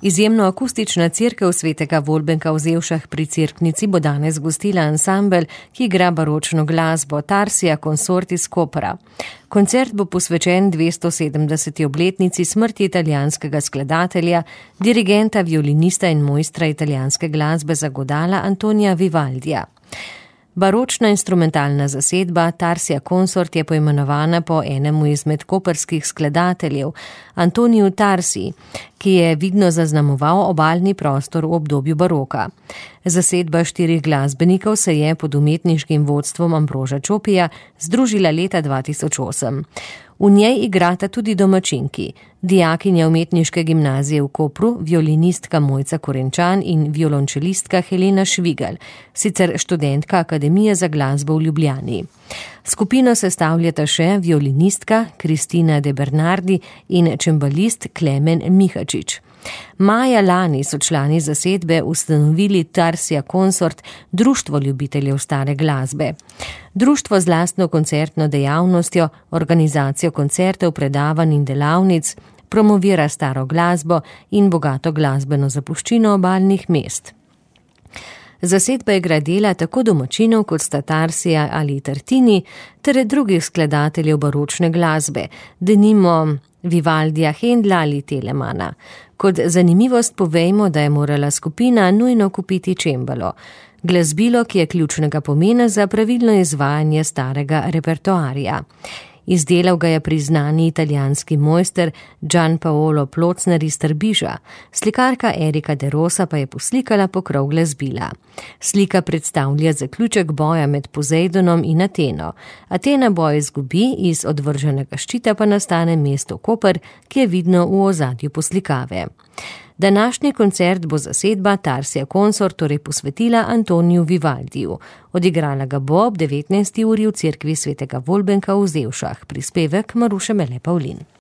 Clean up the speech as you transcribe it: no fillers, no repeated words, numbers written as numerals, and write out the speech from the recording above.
Izjemno akustična cerkev svetega Volbenka v Zevšah pri Cerknici bo danes gostila ansambel, ki igra baročno glasbo Tarsija Consort iz Kopra. Koncert bo posvečen 270. obletnici smrti italijanskega skladatelja, dirigenta, violinista in mojstra italijanske glasbe za godala Antonija Vivaldija. Baročna instrumentalna zasedba Tarsija Consort je poimenovana po enemu izmed koprskih skladateljev, Antoniju Tarsiji, ki je vidno zaznamoval obalni prostor v obdobju baroka. Zasedba 4 glasbenikov se je pod umetniškim vodstvom Ambroža Čopija združila leta 2008. V njej igrata tudi domačinki, dijakinja umetniške gimnazije v Kopru, violinistka Mojca Korenčan in violončelistka Helena Švigalj, sicer študentka Akademije za glasbo v Ljubljani. Skupino sestavljata še violinistka Kristina De Bernardi in čembalist Klemen Mihačič. Maja lani so člani zasedbe ustanovili Tarsija Consort, društvo ljubiteljev stare glasbe. Društvo z lastno koncertno dejavnostjo, organizacijo koncertov, predavanj in delavnic, promovira staro glasbo in bogato glasbeno zapuščino obalnih mest. Zasedba igra dela tako domačinov kot sta Tarsija ali Tartini ter drugih skladateljev baročne glasbe, denimo Vivaldija, Hendla ali Telemana. Kot zanimivost povejmo, da je morala skupina nujno kupiti čembalo, glasbilo, ki je ključnega pomena za pravilno izvajanje starega repertoarja. Izdelal ga je priznani italijanski mojster Gian Paolo Plocner iz Trbiža, slikarka Erika De Rosa pa je poslikala pokrov glasbila. Slika predstavlja zaključek boja med Pozejdonom in Ateno. Atena boj izgubi, iz odvrženega ščita pa nastane mesto Koper, ki je vidno v ozadju poslikave. Današnji koncert bo zasedba Tarsija Consort torej posvetila Antoniju Vivaldiju. Odigrala ga bo ob 19. uri v cerkvi svetega Volbenka v Zevšah. Prispevek Maruše Mele Pavlin.